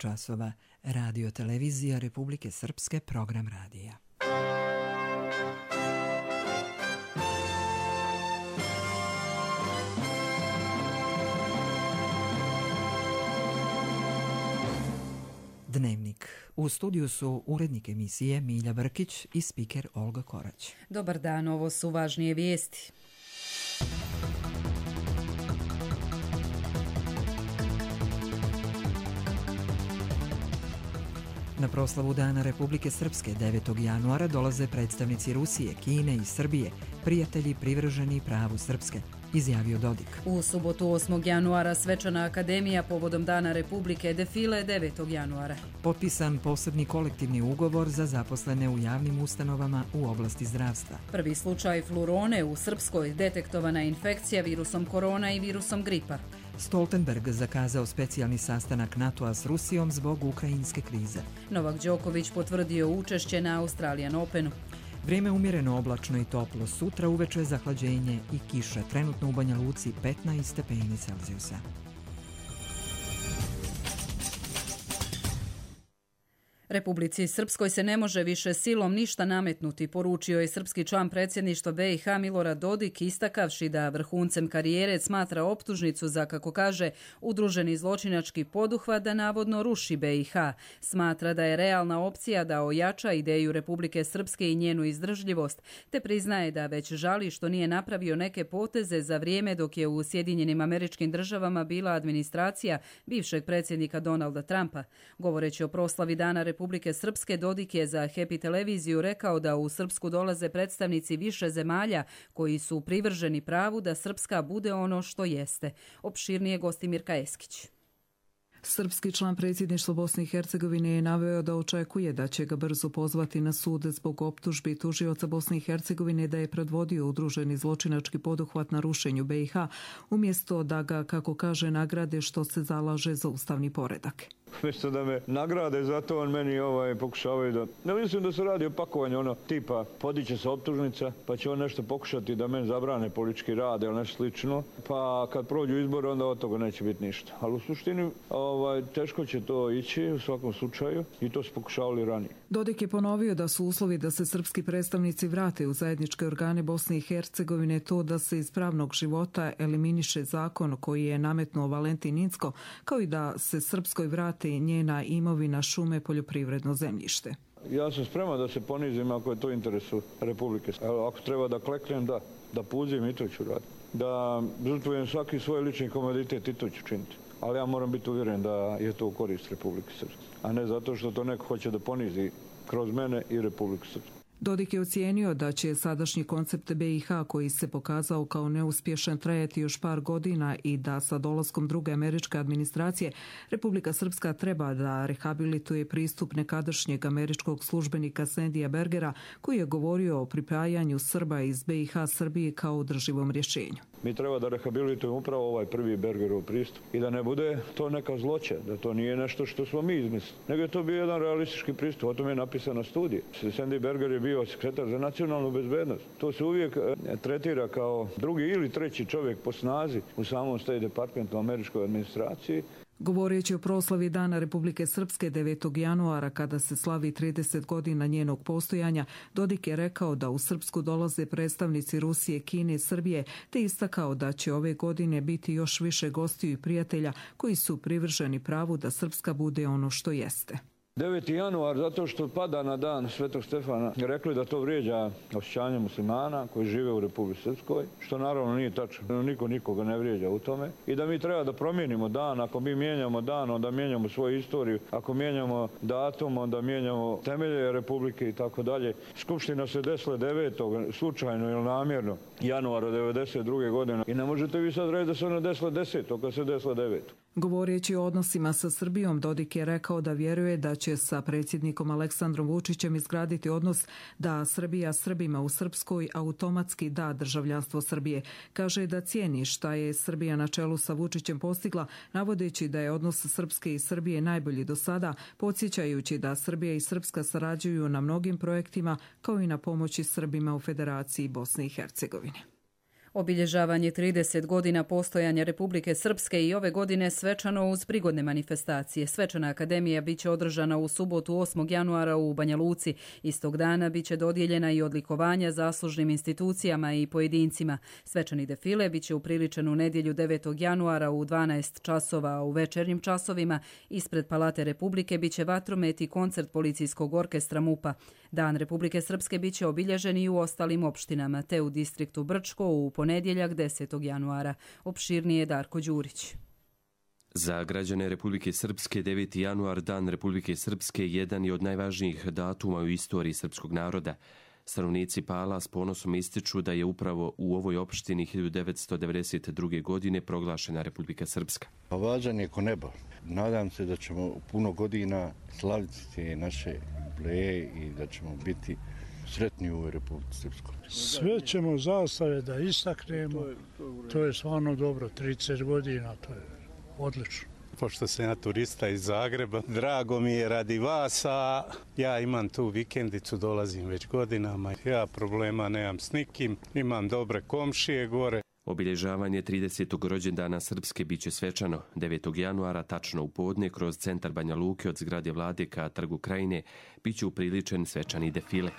časova. Radio Televizija Republike Srpske, program radija. Dnevnik. U studiju su urednik emisije Milja Brkić i spiker Olga Korać. Dobar dan, ovo su važnije vijesti. Na proslavu Dana Republike Srpske 9. januara dolaze predstavnici Rusije, Kine i Srbije, prijatelji privrženi pravu Srpske, izjavio Dodik. U subotu 8. januara svečana akademija povodom Dana Republike, defile 9. januara. Potpisan posebni kolektivni ugovor za zaposlene u javnim ustanovama u oblasti zdravstva. Prvi slučaj flurone u Srpskoj, detektovana infekcija virusom korona i virusom gripa. Stoltenberg zakazao specijalni sastanak NATO-a s Rusijom zbog ukrajinske krize. Novak Đoković potvrdio učešće na Australian Openu. Vrijeme umjereno oblačno i toplo, sutra uveče zahlađenje i kiša, trenutno u Banja Luci 15 stepeni Celzijusa. Republici Srpskoj se ne može više silom ništa nametnuti, poručio je srpski član predsjedništva BiH Milorad Dodik, istakavši da vrhuncem karijere smatra optužnicu za, kako kaže, udruženi zločinački poduhvat da navodno ruši BiH. Smatra da je realna opcija da ojača ideju Republike Srpske i njenu izdržljivost, te priznaje da već žali što nije napravio neke poteze za vrijeme dok je u Sjedinjenim Američkim Državama bila administracija bivšeg predsjednika Donalda Trumpa. Govoreći o proslavi Dana Republike Srpske, Dodik je za Happy televiziju rekao da u Srpsku dolaze predstavnici više zemalja koji su privrženi pravu da Srpska bude ono što jeste. Opširnije Gostimirka Eskić. Srpski član predsjedništva Bosne i Hercegovine je naveo da očekuje da će ga brzo pozvati na sud zbog optužbi tužioca Bosne i Hercegovine da je predvodio udruženi zločinački poduhvat na rušenju BiH, umjesto da ga, kako kaže, nagrade što se zalaže za ustavni poredak. Mjesto da me nagrade, zato on meni pokušavaju da... Ne mislim da se radi o pakovanju tipa podiće se optužnica, pa će on nešto pokušati da meni zabrane politički rad ili nešto slično, pa kad prođu izbore onda od toga neće biti ništa. Ali u suštini teško će to ići u svakom slučaju i to su pokušavali ranije. Dodik je ponovio da su uslovi da se srpski predstavnici vrate u zajedničke organe Bosne i Hercegovine to da se iz pravnog života eliminiše zakon koji je nametnuo Valentin Incko, kao i da se Srpskoj vrate njena imovina, šume, poljoprivredno zemljište. Ja sam spreman da se ponizim ako je to interesu Republike. Ako treba da kleknem, da puzim i to ću raditi. Da žrtvujem svaki svoj lični komoditet i to ću činiti. Ali ja moram biti uvjeren da je to u korist Republike Srpske, a ne zato što to neko hoće da ponizi kroz mene i Republiku Srpsku. Dodik je ocijenio da će sadašnji koncept BiH, koji se pokazao kao neuspješan, trajati još par godina i da sa dolaskom druge američke administracije Republika Srpska treba da rehabilituje pristup nekadašnjeg američkog službenika Sandija Bergera, koji je govorio o pripajanju Srba iz BiH Srbiji kao održivom rješenju. Mi treba da rehabilitujemo upravo ovaj prvi Bergerov pristup i da ne bude to neka zloća, da to nije nešto što smo mi izmislili, nego je to bio jedan realistički pristup, o tome je napisana studija. Sandy Berger je bio sekretar za nacionalnu bezbednost. To se uvijek tretira kao drugi ili treći čovjek po snazi u samom State Departmentu američkoj administraciji. Govoreći o proslavi Dana Republike Srpske 9. januara, kada se slavi 30 godina njenog postojanja, Dodik je rekao da u Srpsku dolaze predstavnici Rusije, Kine i Srbije, te istakao da će ove godine biti još više gostiju i prijatelja koji su privrženi pravu da Srpska bude ono što jeste. 9. januar, zato što pada na dan Svetog Stefana, rekli da to vrijeđa osjećanje muslimana koji žive u Republici Srpskoj, što naravno nije tačno, niko nikoga ne vrijeđa u tome, i da mi treba da promijenimo dan. Ako mi mijenjamo dan, onda mijenjamo svoju istoriju, ako mijenjamo datum, onda mijenjamo temelje Republike i tako dalje. Skupština se desila 9. slučajno ili namjerno januara 1992. godine i ne možete vi sad reći da se ona desila 10. kad se desila 9. Govoreći o odnosima sa Srbijom, Dodik je rekao da vjeruje da će sa predsjednikom Aleksandrom Vučićem izgraditi odnos da Srbija Srbima u Srpskoj automatski da državljanstvo Srbije. Kaže da cijeni šta je Srbija na čelu sa Vučićem postigla, navodeći da je odnos Srpske i Srbije najbolji do sada, podsjećajući da Srbija i Srpska sarađuju na mnogim projektima, kao i na pomoći Srbima u Federaciji Bosne i Hercegovine. Obilježavanje 30 godina postojanja Republike Srpske i ove godine svečano uz prigodne manifestacije. Svečana akademija biće održana u subotu 8. januara u Banja Luci. Istog dana biće dodijeljena i odlikovanja zaslužnim institucijama i pojedincima. Svečani defile biće upriličen u nedjelju 9. januara u 12 časova, a u večernjim časovima ispred Palate Republike biće vatromet i koncert policijskog orkestra MUP-a. Dan Republike Srpske biće obilježen i u ostalim opštinama, te u distriktu Brčko u ponedjeljak 10. januara. Opširnije Darko Đurić. Za građane Republike Srpske 9. januar, Dan Republike Srpske, jedan je od najvažnijih datuma u istoriji srpskog naroda. Stanovnici Pala s ponosom ističu da je upravo u ovoj opštini 1992. godine proglašena Republika Srpska. Važan je ko nebo. Nadam se da ćemo u puno godina slaviti te naše jubileje i da ćemo biti sretni u Republici Srpskoj. Sve ćemo zastave da istaknemo. To je stvarno dobro. 30 godina, to je odlično. Pošto sam ja turista iz Zagreba, drago mi je radi vas, a ja imam tu vikendicu, dolazim već godinama. Ja problema nemam s nikim, imam dobre komšije gore. Obilježavanje 30. rođendana Srpske biće svečano 9. januara, tačno u podne, kroz centar Banja Luke od zgrade vlade ka Trgu Krajine, biće upriličen svečani defile.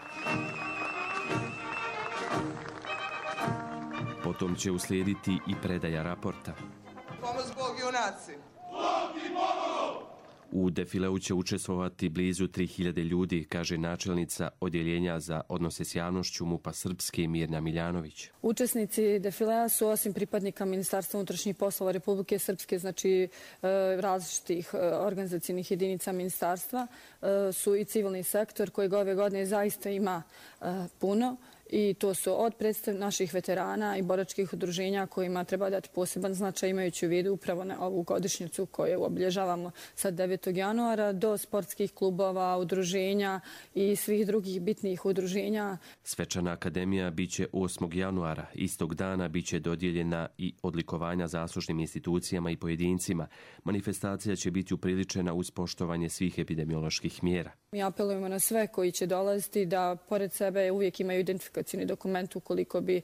Potom će uslijediti i predaja raporta. Pomoz Bog junaci! U defileu će učestvovati blizu 3000 ljudi, kaže načelnica Odjeljenja za odnose s javnošću MUP-a Srpske Mirna Miljanović. Učesnici defilea su osim pripadnika Ministarstva unutrašnjih poslova Republike Srpske, znači različitih organizacijnih jedinica ministarstva, su i civilni sektor kojeg ove godine zaista ima puno. I to su od naših veterana i boračkih udruženja kojima treba dati poseban značaj imajući u vidu upravo na ovu godišnjicu koju obilježavamo sad 9. januara do sportskih klubova, udruženja i svih drugih bitnih udruženja. Svečana akademija biće 8. januara. Istog dana biće dodijeljena i odlikovanja zaslužnim institucijama i pojedincima. Manifestacija će biti upriličena uz poštovanje svih epidemioloških mjera. Mi apelujemo na sve koji će dolaziti da pored sebe uvijek imaju identifikacijni dokument ukoliko bi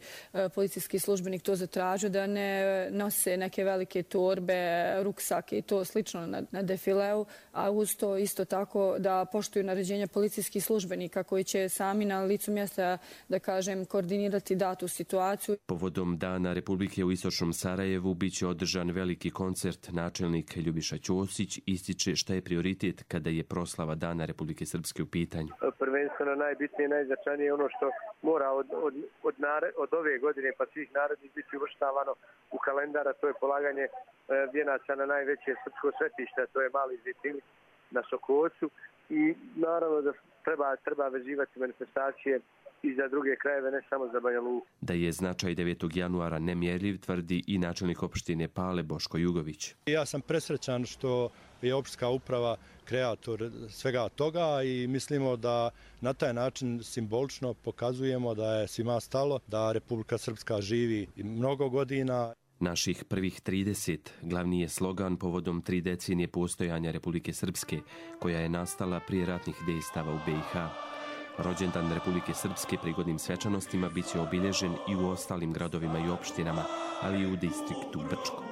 policijski službenik to zatražio, da ne nose neke velike torbe, ruksake i to slično na defileu, a uz to isto tako da poštuju naređenja policijskih službenika koji će sami na licu mjesta, da kažem, koordinirati datu situaciju. Povodom Dana Republike u istočnom Sarajevu biće održan veliki koncert. Načelnik Ljubiša Ćosić ističe šta je prioritet kada je proslava Dana Republike Srpske u pitanju. Prvenstveno najbitnije i najznačajnije ono što mora od ove godine pa svih narednih biti uvrštavano u kalendara, to je polaganje vijenaca na najveće srpsko svetište, to je Mali Zejtin na Sokocu i naravno da treba vezivati manifestacije i za druge krajeve, ne samo za Banja Luku. Da je značaj 9. januara nemjerljiv, tvrdi i načelnik opštine Pale Boško Jugović. Ja sam presrećan što je opštinska uprava kreator svega toga i mislimo da na taj način simbolično pokazujemo da je svima stalo, da Republika Srpska živi mnogo godina. Naših prvih 30 glavni je slogan povodom 3 decenije postojanja Republike Srpske, koja je nastala prije ratnih dejstava u BiH. Rođendan Republike Srpske prigodnim svečanostima biće obilježen i u ostalim gradovima i opštinama, ali i u distriktu Brčko.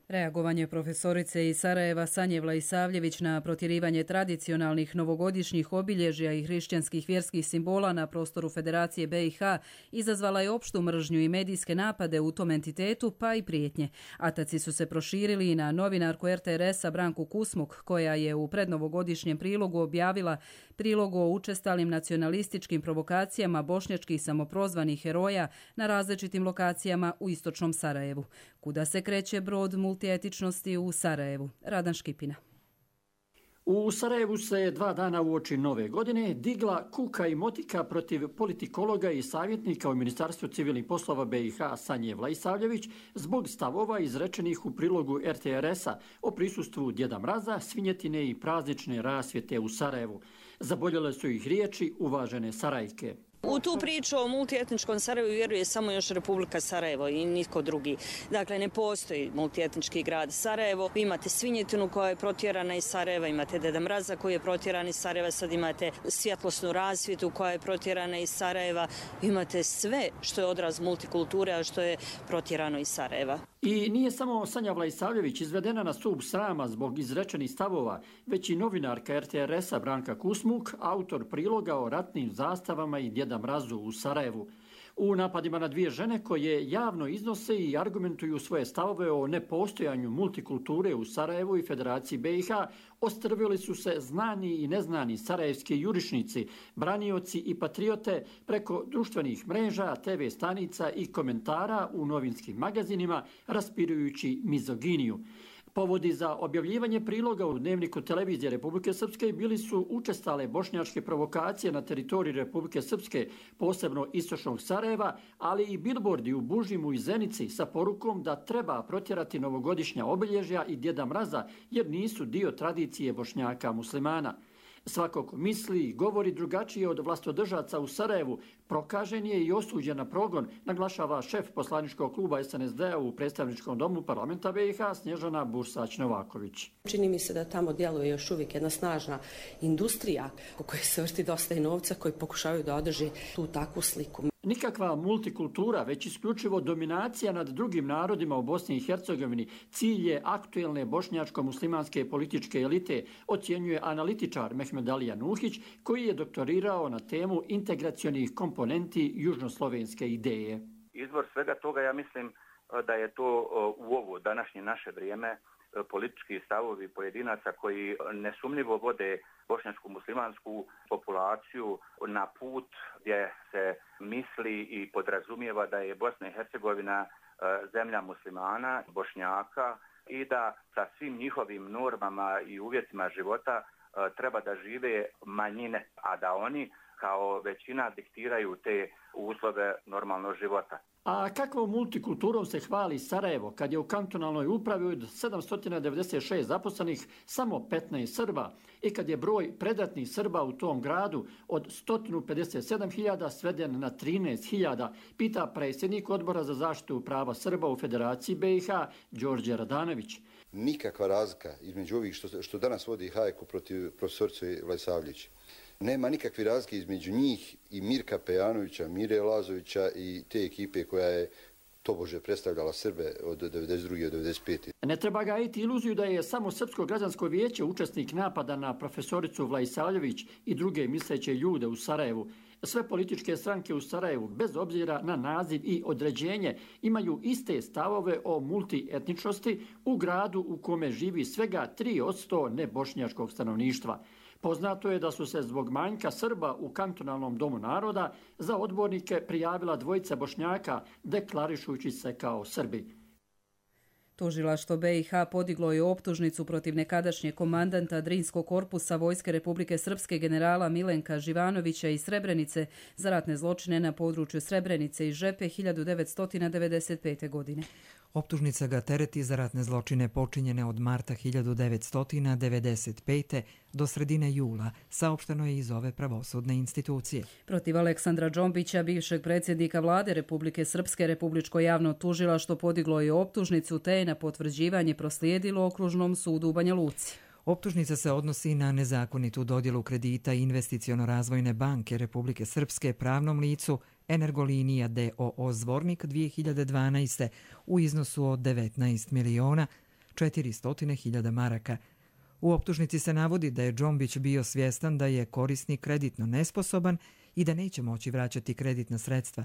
Reagovanje profesorice iz Sarajeva Sanje Vlaisavljević na protjerivanje tradicionalnih novogodišnjih obilježja i hrišćanskih vjerskih simbola na prostoru Federacije BiH izazvala je opštu mržnju i medijske napade u tom entitetu, pa i prijetnje. Ataci su se proširili i na novinarku RTRS-a Branku Kusmuk, koja je u prednovogodišnjem prilogu objavila prilog o učestalim nacionalističkim provokacijama bošnjačkih samoprozvanih heroja na različitim lokacijama u istočnom Sarajevu. Kuda se kreće brod multietičnosti u Sarajevu? Radan Škipina. U Sarajevu se 2 dana uoči nove godine digla kuka i motika protiv politikologa i savjetnika u Ministarstvu civilnih poslova BiH Sanje Vlaisavljević zbog stavova izrečenih u prilogu RTRS-a o prisustvu Djeda Mraza, svinjetine i praznične rasvjete u Sarajevu. Zaboljele su ih riječi uvažene Sarajke. U tu priču o multietničkom Sarajevu vjeruje samo još Republika Sarajevo i nitko drugi. Dakle, ne postoji multietnički grad Sarajevo. Vi imate Svinjetinu koja je protjerana iz Sarajeva, imate Deda Mraza koji je protjeran iz Sarajeva, sad imate svjetlosnu rasvjetu koja je protjerana iz Sarajeva. Imate sve što je odraz multikulture, a što je protjerano iz Sarajeva. I nije samo Sanja Vlaisavljević izvedena na stup srama zbog izrečenih stavova, već i novinarka RTRS-a Branka Kusmuk, autor priloga o ratnim zastavama i Djeda Mrazu u Sarajevu. U napadima na dvije žene koje javno iznose i argumentuju svoje stavove o nepostojanju multikulture u Sarajevu i Federaciji BiH, ostrvili su se znani i neznani sarajevski jurišnici, branioci i patriote preko društvenih mreža, TV stanica i komentara u novinskim magazinima, raspirujući mizoginiju. Povodi za objavljivanje priloga u dnevniku televizije Republike Srpske bili su učestale bošnjačke provokacije na teritoriji Republike Srpske, posebno istočnog Sarajeva, ali i bilbordi u Bužimu i Zenici sa porukom da treba protjerati novogodišnja obilježja i Djeda Mraza jer nisu dio tradicije Bošnjaka muslimana. Svako ko misli i govori drugačije od vlastodržaca u Sarajevu prokažen je i osuđen na progon, naglašava šef poslaničkog kluba SNSD-a u predstavničkom domu parlamenta BiH Snježana Bursać-Novaković. Čini mi se da tamo djeluje još uvijek jedna snažna industrija u kojoj se vrti dosta i novca koji pokušavaju da održi tu takvu sliku. Nikakva multikultura, već isključivo dominacija nad drugim narodima u Bosni i Hercegovini, cilj je aktuelne bošnjačko-muslimanske političke elite, ocjenjuje analitičar Mehmed Alija Nuhić, koji je doktorirao na temu integracionih komponenti južnoslovenske ideje. Izvor svega toga, ja mislim da je to u ovo današnje naše vrijeme politički stavovi pojedinaca koji nesumnjivo vode bošnjačko-muslimansku populaciju na put gdje se misli i podrazumijeva da je Bosna i Hercegovina zemlja muslimana, Bošnjaka i da sa svim njihovim normama i uvjetima života treba da žive manjine, a da oni kao većina diktiraju te uslove normalnog života. A kakvom multikulturom se hvali Sarajevo kad je u kantonalnoj upravi od 796 zaposlenih samo 15 Srba i kad je broj predatnih Srba u tom gradu od 157.000 sveden na 13.000, pita predsjednik Odbora za zaštitu prava Srba u Federaciji BiH Đorđe Radanović. Nikakva razlika između ovih što danas vodi hajku protiv profesorice Vlaisavljević. Nema nikakve razlike između njih i Mirka Pejanovića, Mire Lazovića i te ekipe koja je tobože predstavljala Srbe od 92. do 95. Ne treba gajiti iluziju da je samo Srpsko građansko vijeće učesnik napada na profesoricu Vlaisavljević i druge misleće ljude u Sarajevu. Sve političke stranke u Sarajevu, bez obzira na naziv i određenje, imaju iste stavove o multietničnosti u gradu u kome živi svega 3% nebošnjačkog stanovništva. Poznato je da su se zbog manjka Srba u kantonalnom domu naroda za odbornike prijavila dvojica Bošnjaka, deklarišujući se kao Srbi. Tužilaštvo BiH podiglo je optužnicu protiv nekadašnjeg komandanta Drinskog korpusa Vojske Republike Srpske generala Milenka Živanovića iz Srebrenice za ratne zločine na području Srebrenice i Žepe 1995. godine. Optužnica ga tereti za ratne zločine počinjene od marta 1995. do sredine jula, saopšteno je iz ove pravosudne institucije. Protiv Aleksandra Džombića, bivšeg predsjednika vlade Republike Srpske, Republičko javno tužilaštvo podiglo je optužnicu te je na potvrđivanje proslijedilo Okružnom sudu u Banja Luci. Optužnica se odnosi na nezakonitu dodjelu kredita Investiciono-razvojne banke Republike Srpske pravnom licu Energolinija d.o.o. Zvornik 2012. u iznosu od 19.400.000 maraka. U optužnici se navodi da je Džombić bio svjestan da je korisnik kreditno nesposoban i da neće moći vraćati kreditna sredstva.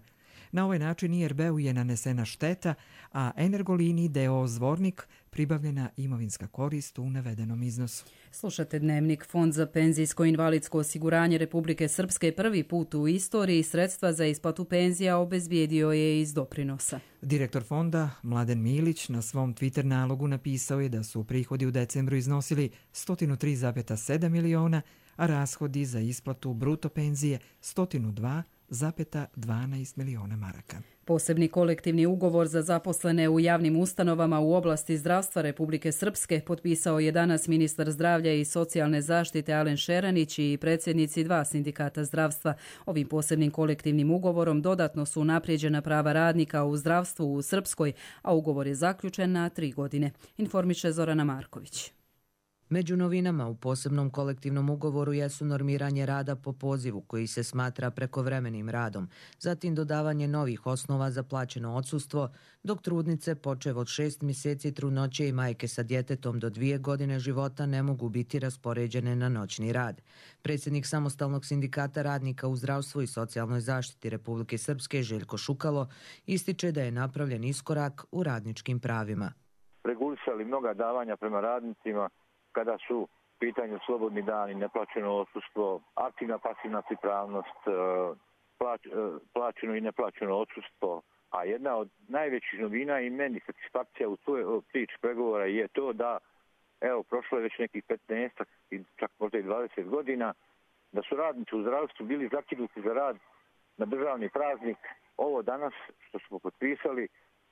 Na ovaj način IRB-u je nanesena šteta, a Energoliniji d.o.o. Zvornik pribavljena imovinska korist u navedenom iznosu. Slušate Dnevnik. Fond za penzijsko i invalidsko osiguranje Republike Srpske prvi put u istoriji sredstva za isplatu penzija obezbijedio je iz doprinosa. Direktor fonda Mladen Milić na svom Twitter nalogu napisao je da su prihodi u decembru iznosili 103,7 miliona, a rashodi za isplatu bruto penzije 102,8 1,12 miliona maraka. Posebni kolektivni ugovor za zaposlene u javnim ustanovama u oblasti zdravstva Republike Srpske potpisao je danas ministar zdravlja i socijalne zaštite Alen Šeranić i predsjednici 2 sindikata zdravstva. Ovim posebnim kolektivnim ugovorom dodatno su unaprijeđena prava radnika u zdravstvu u Srpskoj, a ugovor je zaključen na 3 godine. Informiše Zorana Marković. Među novinama u posebnom kolektivnom ugovoru jesu normiranje rada po pozivu koji se smatra prekovremenim radom, zatim dodavanje novih osnova za plaćeno odsustvo, dok trudnice počev od 6 mjeseci trudnoće i majke sa djetetom do 2 godine života ne mogu biti raspoređene na noćni rad. Predsjednik Samostalnog sindikata radnika u zdravstvu i socijalnoj zaštiti Republike Srpske Željko Šukalo ističe da je napravljen iskorak u radničkim pravima. Regulisali mnoga davanja prema radnicima kada su u pitanju slobodni dani, neplaćeno odsustvo, aktivna pasivna pripravnost, plaćeno i neplaćeno odsustvo. A jedna od najvećih novina i meni satisfakcija u toj priči pregovora je to da, evo, prošlo je već nekih 15, čak možda i 20 godina, da su radnici u zdravstvu bili zakinuti za rad na državni praznik. Ovo danas što smo potpisali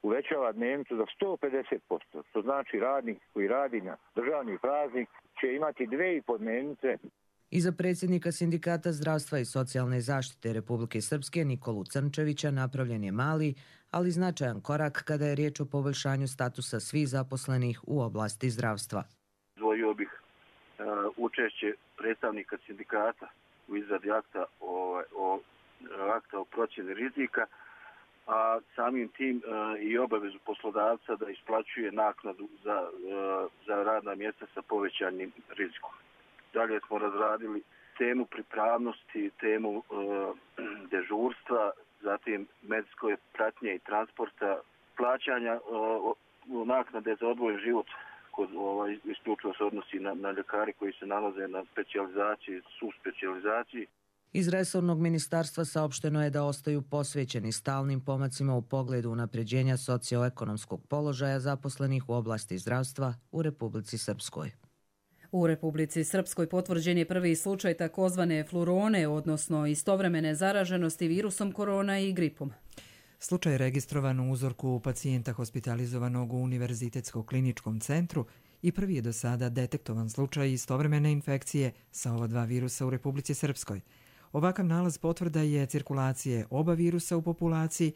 uvećava dnevnicu za 150%. To znači radnik koji radi na državni praznik će imati 2,5 dnevnice. Iza predsjednika sindikata zdravstva i socijalne zaštite Republike Srpske Nikolu Crnčevića napravljen je mali, ali značajan korak kada je riječ o poboljšanju statusa svih zaposlenih u oblasti zdravstva. Izdvojio bih učešće predstavnika sindikata u izradi akta o procjeni rizika, a samim tim i obavezu poslodavca da isplaćuje naknadu za radna mjesta sa povećanim rizikom. Dalje smo razradili temu pripravnosti, temu dežurstva, zatim medicinske pratnje i transporta, plaćanja naknade za odvojen život, isključivo se odnosi na ljekari koji se nalaze na specijalizaciji, subspecijalizaciji. Iz resornog ministarstva saopšteno je da ostaju posvećeni stalnim pomacima u pogledu unapređenja socioekonomskog položaja zaposlenih u oblasti zdravstva u Republici Srpskoj. U Republici Srpskoj potvrđen je prvi slučaj takozvane flurone, odnosno istovremene zaraženosti virusom korona i gripom. Slučaj je registrovan u uzorku pacijenta hospitalizovanog u Univerzitetskom kliničkom centru i prvi je do sada detektovan slučaj istovremene infekcije sa ova 2 virusa u Republici Srpskoj. Ovakav nalaz potvrda je cirkulacije oba virusa u populaciji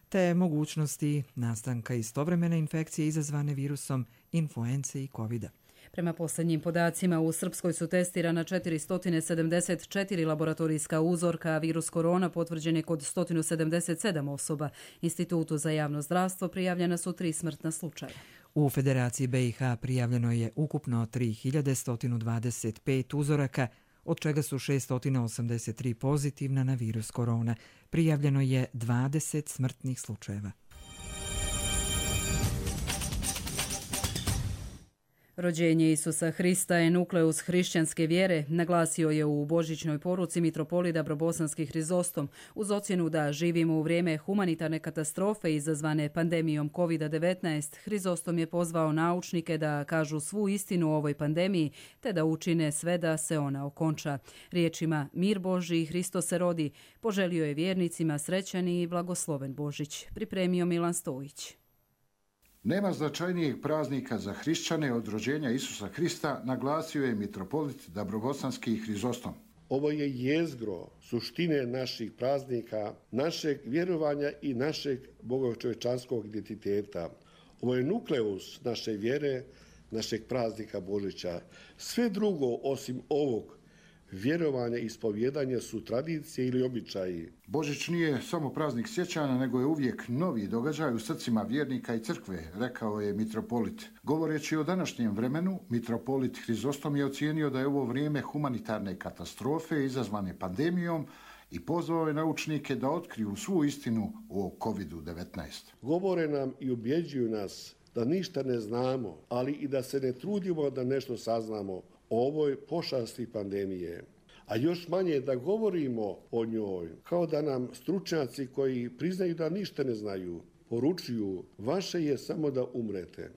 te mogućnosti nastanka istovremene infekcije izazvane virusom influence i covida. Prema posljednjim podacima, u Srpskoj su testirana 474 laboratorijska uzorka, a virus korona potvrđen je kod 177 osoba. Institutu za javno zdravstvo prijavljena su 3 smrtna slučaja. U Federaciji BiH prijavljeno je ukupno 3125 uzoraka, od čega su 683 pozitivna na virus korona. Prijavljeno je 20 smrtnih slučajeva. Rođenje Isusa Hrista je nukleus hrišćanske vjere, naglasio je u božićnoj poruci mitropolit Dabrobosanski Hrizostom, uz ocjenu da živimo u vrijeme humanitarne katastrofe izazvane pandemijom COVID-19. Hrizostom je pozvao naučnike da kažu svu istinu o ovoj pandemiji, te da učine sve da se ona okonča. Riječima mir Božji, Hristo se rodi, poželio je vjernicima srećan i blagosloven Božić, pripremio Milan Stojić. Nema značajnijeg praznika za hrišćane od rođenja Isusa Hrista, naglasio je mitropolit Dabrobosanski Hrizostom. Ovo je jezgro suštine naših praznika, našeg vjerovanja i našeg bogočovječanskog identiteta. Ovo je nukleus naše vjere, našeg praznika Božića. Sve drugo osim ovog vjerovanja i ispovjedanja su tradicije ili običaji. Božić nije samo praznik sjećanja, nego je uvijek novi događaj u srcima vjernika i crkve, rekao je mitropolit. Govoreći o današnjem vremenu, mitropolit Hrizostom je ocijenio da je ovo vrijeme humanitarne katastrofe izazvane pandemijom i pozvao je naučnike da otkriju svu istinu o COVID-19. Govore nam i ubjeđuju nas da ništa ne znamo, ali i da se ne trudimo da nešto saznamo o ovoj pošasti pandemije, a još manje da govorimo o njoj, kao da nam stručnjaci koji priznaju da ništa ne znaju, poručuju vaše je samo da umrete.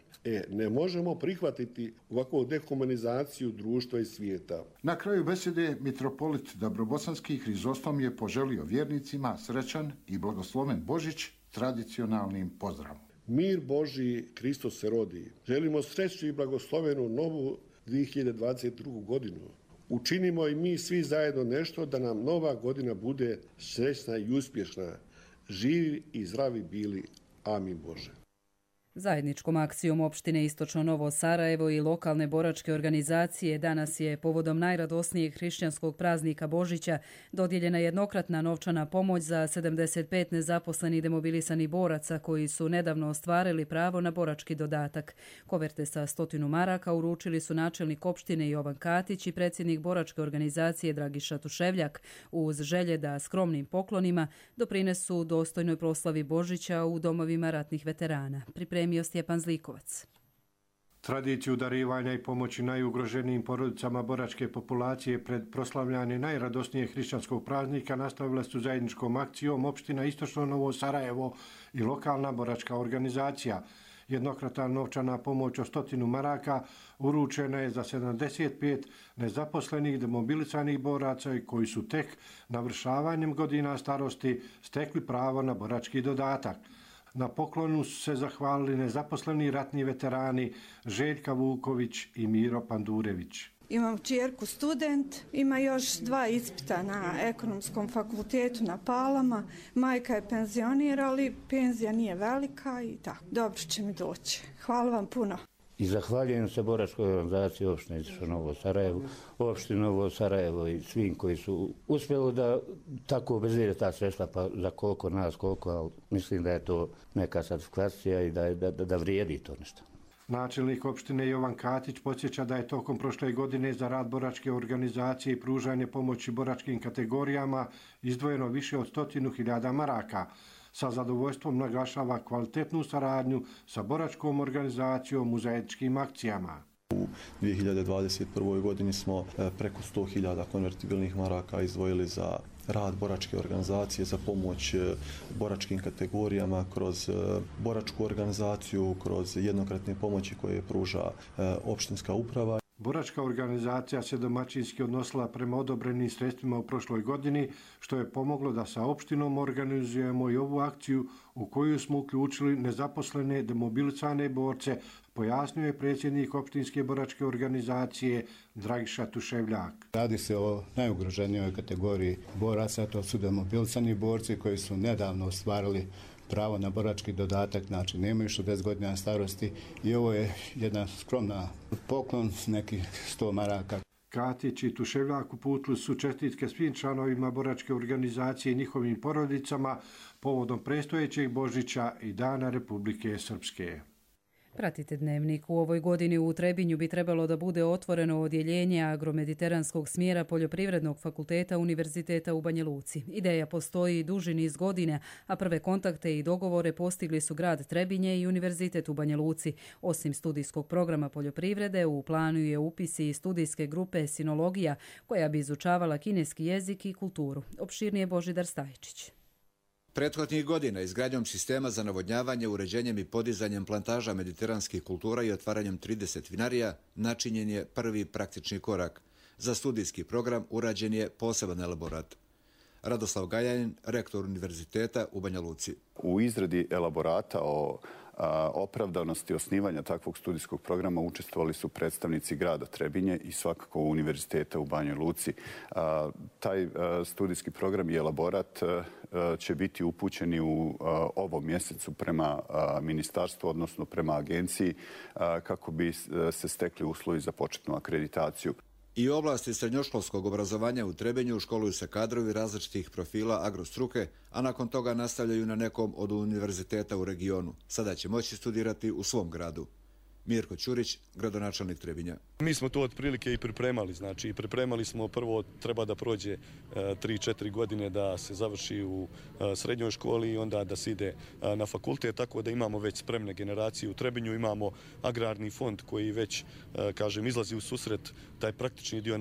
Ne možemo prihvatiti ovakvu dehumanizaciju društva i svijeta. Na kraju besede mitropolit Dabrobosanski Hrizostom je poželio vjernicima srećan i blagosloven Božić tradicionalnim pozdravom. Mir Božji, Hristos se rodi. Želimo sreću i blagoslovenu novu 2022. godinu. Učinimo i mi svi zajedno nešto da nam nova godina bude srećna i uspješna. Živi i zdravi bili. Amin Bože. Zajedničkom akcijom opštine Istočno Novo Sarajevo i lokalne boračke organizacije danas je povodom najradosnijeg hrišćanskog praznika Božića dodijeljena jednokratna novčana pomoć za 75 nezaposlenih demobilisanih boraca koji su nedavno ostvarili pravo na borački dodatak. Koverte sa 100 maraka uručili su načelnik opštine Jovan Katić i predsjednik boračke organizacije Dragiša Tuševljak uz želje da skromnim poklonima doprinesu dostojnoj proslavi Božića u domovima ratnih veterana. Pripremio Stjepan Zlikovac. Tradiciju darivanja i pomoći najugroženijim porodicama boračke populacije pred proslavljanje najradosnijeg hrišćanskog praznika nastavile su zajedničkom akcijom opština Istočno Novo Sarajevo i lokalna boračka organizacija. Jednokratna novčana pomoć od 100 maraka uručena je za 75 nezaposlenih demobilisanih boraca koji su tek navršavanjem godina starosti stekli pravo na borački dodatak. Na poklonu su se zahvalili nezaposleni ratni veterani Željka Vuković i Miro Pandurević. Imam kćerku student, ima još 2 ispita na ekonomskom fakultetu na Palama. Majka je penzioner, ali penzija nije velika i tako. Dobro će mi doći. Hvala vam puno. I zahvaljujem se boračkoj organizaciji opštine Novo Sarajevo, opštine Novo Sarajevo i svim koji su uspjeli da tako obezvrijede ta sredstva, pa za koliko nas, koliko, ali mislim da je to neka satisfakcija i da vrijedi to nešto. Načelnik opštine Jovan Katić podsjeća da je tokom prošle godine za rad boračke organizacije i pružanje pomoći boračkim kategorijama izdvojeno više od 100.000 maraka. Sa zadovoljstvom naglašava kvalitetnu saradnju sa boračkom organizacijom u zajedničkim akcijama. U 2021. godini smo preko 100.000 konvertibilnih maraka izdvojili za rad boračke organizacije, za pomoć boračkim kategorijama kroz boračku organizaciju, kroz jednokratne pomoći koje pruža opštinska uprava. Boračka organizacija se domaćinski odnosila prema odobrenim sredstvima u prošloj godini, što je pomoglo da sa opštinom organizujemo i ovu akciju u koju smo uključili nezaposlene demobilisane borce, pojasnio je predsjednik opštinske boračke organizacije Dragiša Tuševljak. Radi se o najugroženijoj kategoriji boraca, to su demobilisani borci koji su nedavno ostvarili pravo na borački dodatak, znači nemaju 60 godina starosti i ovo je jedna skromna poklon, nekih 100 maraka. Katić i Tuševljak uputili su čestitke svim članovima boračke organizacije i njihovim porodicama povodom predstojećeg Božića i Dana Republike Srpske. Pratite Dnevnik. U ovoj godini u Trebinju bi trebalo da bude otvoreno odjeljenje agromediteranskog smjera Poljoprivrednog fakulteta Univerziteta u Banja Luci. Ideja postoji duži niz godina, a prve kontakte i dogovore postigli su grad Trebinje i Univerzitet u Banja Luci. Osim studijskog programa poljoprivrede, u planu je upis i studijske grupe sinologija, koja bi izučavala kineski jezik i kulturu. Opširnije Božidar Stajičić. Prethodnih godina izgradnjom sistema za navodnjavanje, uređenjem i podizanjem plantaža mediteranskih kultura i otvaranjem 30 vinarija načinjen je prvi praktični korak. Za studijski program urađen je poseban elaborat. Radoslav Gajanin, rektor Univerziteta u Banja Luci. U izradi elaborata o opravdanosti osnivanja takvog studijskog programa učestvovali su predstavnici grada Trebinje i svakako Univerziteta u Banjoj Luci. Taj studijski program i elaborat će biti upućeni u ovom mjesecu prema ministarstvu, odnosno prema agenciji, kako bi se stekli uslovi za početnu akreditaciju. I u oblasti srednjoškolskog obrazovanja u Trebinju školuju se kadrovi različitih profila agrostruke, a nakon toga nastavljaju na nekom od univerziteta u regionu. Sada će moći studirati u svom gradu. Mirko Ćurić, gradonačelnik Trebinja. Mi smo to otprilike i pripremali, znači pripremali smo prvo treba da prođe 3-4 godine da se završi u srednjoj školi i onda da se ide na fakultet, tako da imamo već spremne generacije u Trebinju, imamo agrarni fond koji već, kažem, izlazi u susret, taj praktični dio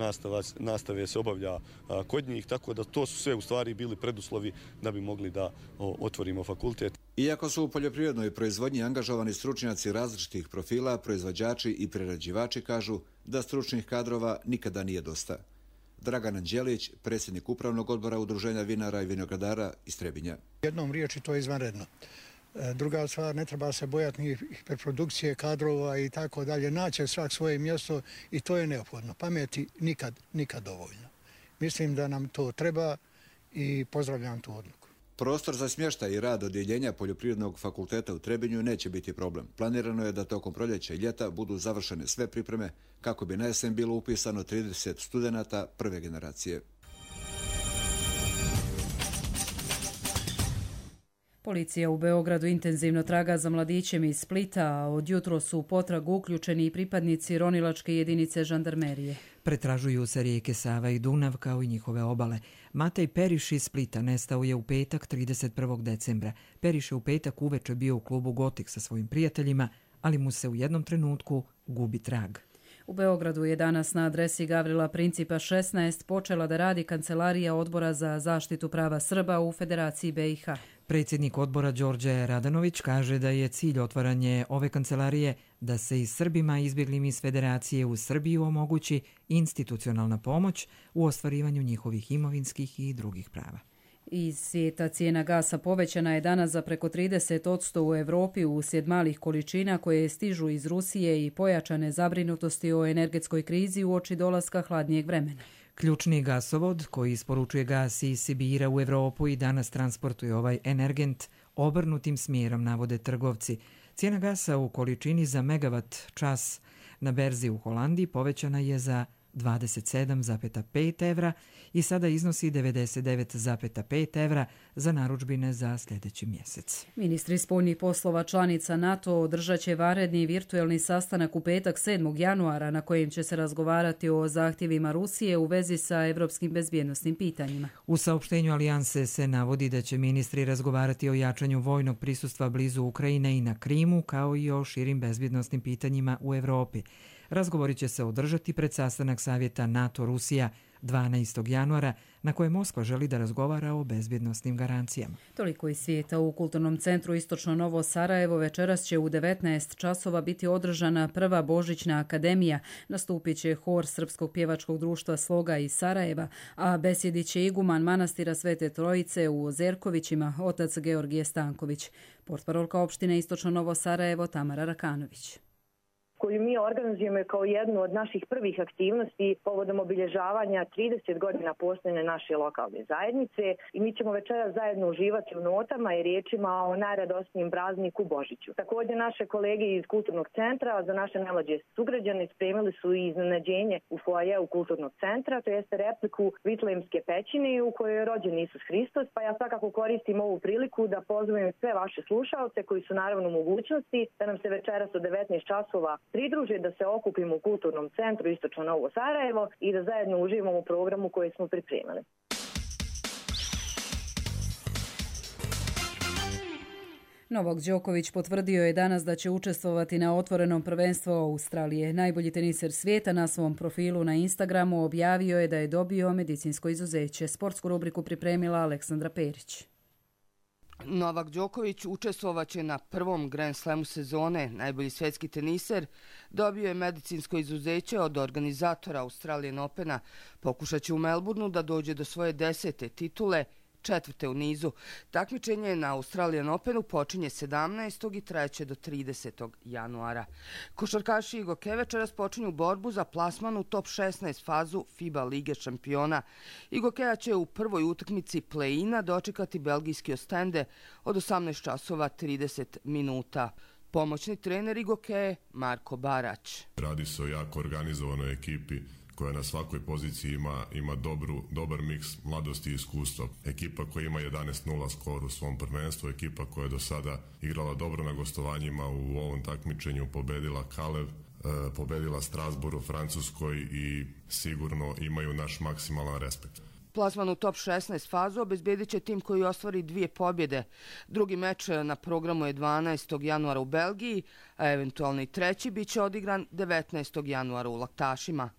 nastave se obavlja kod njih, tako da to su sve u stvari bili preduslovi da bi mogli da otvorimo fakultet. Iako su u poljoprivrednoj proizvodnji angažovani stručnjaci različitih profila, proizvođači i prerađivači kažu da stručnih kadrova nikada nije dosta. Dragan Anđelić, predsjednik upravnog odbora Udruženja vinara i vinogradara iz Trebinja. Jednom riječi to je izvanredno. Druga stvar, ne treba se bojati ni hiperprodukcije kadrova i tako dalje. Naće svak svoje mjesto i to je neophodno. Pameti nikad dovoljno. Mislim da nam to treba i pozdravljam tu odluku. Prostor za smještaj i rad odjeljenja Poljoprivrednog fakulteta u Trebinju neće biti problem. Planirano je da tokom proljeća i ljeta budu završene sve pripreme kako bi na jesen bilo upisano 30 studenata prve generacije. Policija u Beogradu intenzivno traga za mladićem iz Splita, a od jutro su u potragu uključeni i pripadnici ronilačke jedinice žandarmerije. Pretražuju se rijeke Sava i Dunav kao i njihove obale. Matej Periš iz Splita nestao je u petak 31. decembra. Periš je u petak uveče bio u klubu Gotik sa svojim prijateljima, ali mu se u jednom trenutku gubi trag. U Beogradu je danas na adresi Gavrila Principa 16 počela da radi Kancelarija Odbora za zaštitu prava Srba u Federaciji BiH. Predsjednik odbora Đorđe Radanović kaže da je cilj otvaranje ove kancelarije da se i Srbima izbjeglim iz Federacije u Srbiju omogući institucionalna pomoć u ostvarivanju njihovih imovinskih i drugih prava. Iz svijeta cijena gasa povećana je danas za preko 30% u Europi uslijed malih količina koje stižu iz Rusije i pojačane zabrinutosti o energetskoj krizi uoči dolaska hladnijeg vremena. Ključni gasovod koji isporučuje gas iz Sibira u Europu i danas transportuje ovaj energent obrnutim smjerom, navode trgovci. Cijena gasa u količini za megavat čas na berzi u Holandiji povećana je za 27,5 evra i sada iznosi 99,5 evra za narudžbine za sljedeći mjesec. Ministri spoljnih poslova članica NATO održat će vanredni virtuelni sastanak u petak 7. januara na kojem će se razgovarati o zahtjevima Rusije u vezi sa evropskim bezbjednosnim pitanjima. U saopštenju alijanse se navodi da će ministri razgovarati o jačanju vojnog prisustva blizu Ukrajine i na Krimu, kao i o širim bezbjednosnim pitanjima u Europi. Razgovori će se održati pred sastanak Savjeta NATO-Rusija 12. januara, na koje Moskva želi da razgovara o bezbjednosnim garancijama. Toliko iz svijeta. U Kulturnom centru Istočno Novo Sarajevo večeras će u 19 časova biti održana prva Božićna akademija. Nastupit će hor Srpskog pjevačkog društva Sloga iz Sarajeva, a besjedit će iguman manastira Svete Trojice u Ozerkovićima, otac Georgije Stanković. Portparolka opštine Istočno Novo Sarajevo Tamara Rakanović. Koju mi organizujemo kao jednu od naših prvih aktivnosti povodom obilježavanja 30 godina postojanja naše lokalne zajednice i mi ćemo večeras zajedno uživati u notama i riječima o najradosnijem prazniku Božiću. Također naše kolege iz Kulturnog centra za naše najmlađe sugrađane spremili su i iznenađenje u foajeu Kulturnog centra, to jeste repliku Vitlejemske pećine u kojoj je rođen Isus Hristos, pa ja svakako koristim ovu priliku da pozovem sve vaše slušaoce koji su naravno u mogućnosti da nam se večeras od 19 časova pridruže, da se okupimo u Kulturnom centru Istočno Novo Sarajevo i da zajedno uživamo u programu koji smo pripremili. Novak Đoković potvrdio je danas da će učestvovati na otvorenom prvenstvu Australije. Najbolji teniser svijeta na svom profilu na Instagramu objavio je da je dobio medicinsko izuzeće. Sportsku rubriku pripremila Aleksandra Perić. Novak Đoković učestvovaće na prvom Grand Slamu sezone. Najbolji svjetski teniser dobio je medicinsko izuzeće od organizatora Australian Opena. Pokušat će u Melbourneu da dođe do svoje 10. titule, 4. u nizu. Takmičenje na Australian Openu počinje 17. i trajeće do 30. januara. Košarkaši Igoke večeras počinju borbu za plasman u top 16 fazu FIBA Lige šampiona. Igokea će u prvoj utakmici play-ina dočekati belgijski Ostende od 18 časova 30 minuta. Pomoćni trener Igokee Marko Barać. Radi se o jako organizovanoj ekipi koja na svakoj poziciji ima dobar miks mladosti i iskustva. Ekipa koja ima 11-0 skor u svom prvenstvu, ekipa koja je do sada igrala dobro na gostovanjima u ovom takmičenju, pobedila Kalev, pobedila Strasbourg u Francuskoj i sigurno imaju naš maksimalan respekt. Plasman u top 16 fazu obezbedit će tim koji ostvari 2 pobjede. Drugi meč na programu je 12. januara u Belgiji, a eventualni treći bit će odigran 19. januara u Laktašima.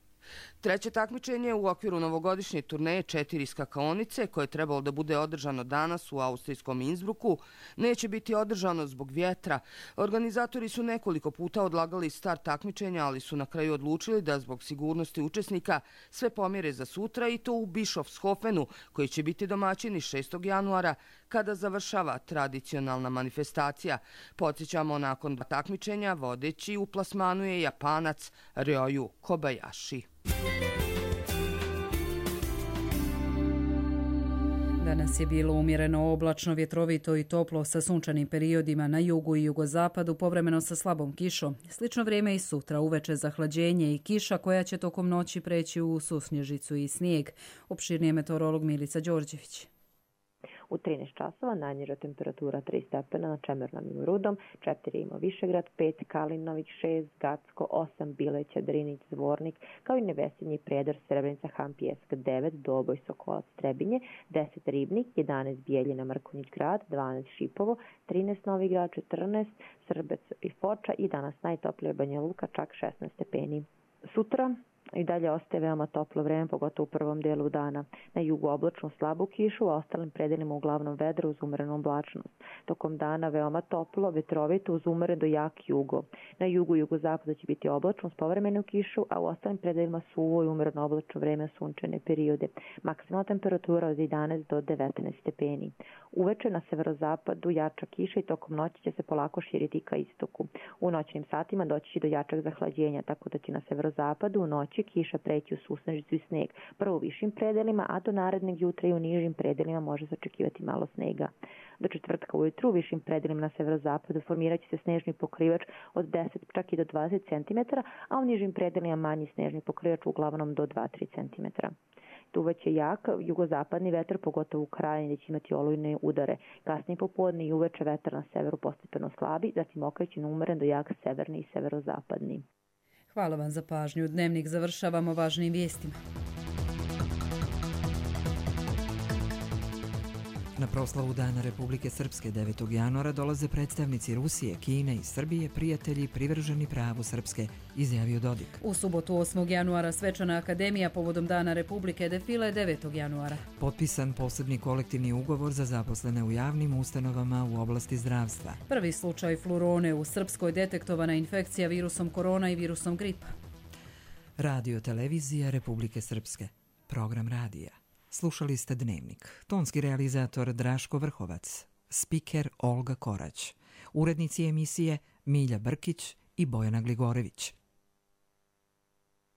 Treće takmičenje u okviru novogodišnje turneje 4 skakaonice, koje je trebalo da bude održano danas u austrijskom Innsbrucku, neće biti održano zbog vjetra. Organizatori su nekoliko puta odlagali start takmičenja, ali su na kraju odlučili da zbog sigurnosti učesnika sve pomjere za sutra, i to u Bischofshofenu, koji će biti domaćini 6. januara, kada završava tradicionalna manifestacija. Podsjećamo, nakon 2 takmičenja vodeći u plasmanu je Japanac Ryoyu Kobayashi. Danas je bilo umjereno oblačno, vjetrovito i toplo sa sunčanim periodima na jugu i jugozapadu, povremeno sa slabom kišom. Slično vrijeme i sutra, uveče zahlađenje i kiša koja će tokom noći preći u susnježicu i snijeg. Opširnije meteorolog Milica Đorđević. U 13 časova najniža temperatura 3 stepena na Čemernom i Rudom, 4 ima Višegrad, 5 Kalinović, 6 Gacko, 8 Bileća, Drinić, Zvornik, kao i Nevesinji, Prijedor, Srebrenica, Hampijevska, 9 Doboj, Sokolac, Trebinje, 10 Ribnik, 11 Bijeljina, Mrkonjić Grad, 12 Šipovo, 13 Novi Grad, 14 Srbec i Foča i danas najtoplije Banja Luka, čak 16 stepeni. Sutra i dalje ostaje veoma toplo vreme, pogotovo u prvom delu dana. Na jugu oblačnu slabu kišu, a ostalim predelima uglavnom vedro uz umerenu oblačnost. Tokom dana veoma toplo, vetrovito uz umeren do jak jugo. Na jugu i jugozapadu će biti oblačno s povremenom kišu, a u ostalim predelima suvo i umereno oblačno vreme, sunčane periode. Maksimalna temperatura od 11 do 19 stepeni. Uveče na severozapadu jača kiša i tokom noći će se polako širiti ka istoku. U noćnim satima doći će do jačeg zahlađenja, tako da će na severozapadu u noći kiša preći u susnežicu i sneg. Prvo u višim predelima, a do narednog jutra i u nižim predelima može se očekivati malo snega. Do četvrtka ujutru u višim predelima na severozapadu formirat će se snežni pokrivač od 10 čak i do 20 cm, a u nižim predelima manji snežni pokrivač uglavnom do 2-3 cm. Duvaće jak jugozapadni vetar, pogotovo u krajini gdje će imati olujne udare. Kasnije popodne i uveče vetar na severu postepeno slabi, zatim okreće na umeren do jak severni i severozapadni. Hvala vam za pažnju. Dnevnik završavamo važnim vijestima. Na proslavu Dana Republike Srpske 9. januara dolaze predstavnici Rusije, Kine i Srbije, prijatelji privrženi pravu Srpske, izjavio Dodik. U subotu 8. januara svečana akademija povodom Dana Republike, defile 9. januara. Potpisan posebni kolektivni ugovor za zaposlene u javnim ustanovama u oblasti zdravstva. Prvi slučaj flurone u Srpskoj, detektovana infekcija virusom korona i virusom gripa. Radio televizija Republike Srpske. Program radija. Slušali ste Dnevnik. Tonski realizator Draško Vrhovac. Spiker Olga Korać. Urednici emisije Milja Brkić i Bojana Gligorević.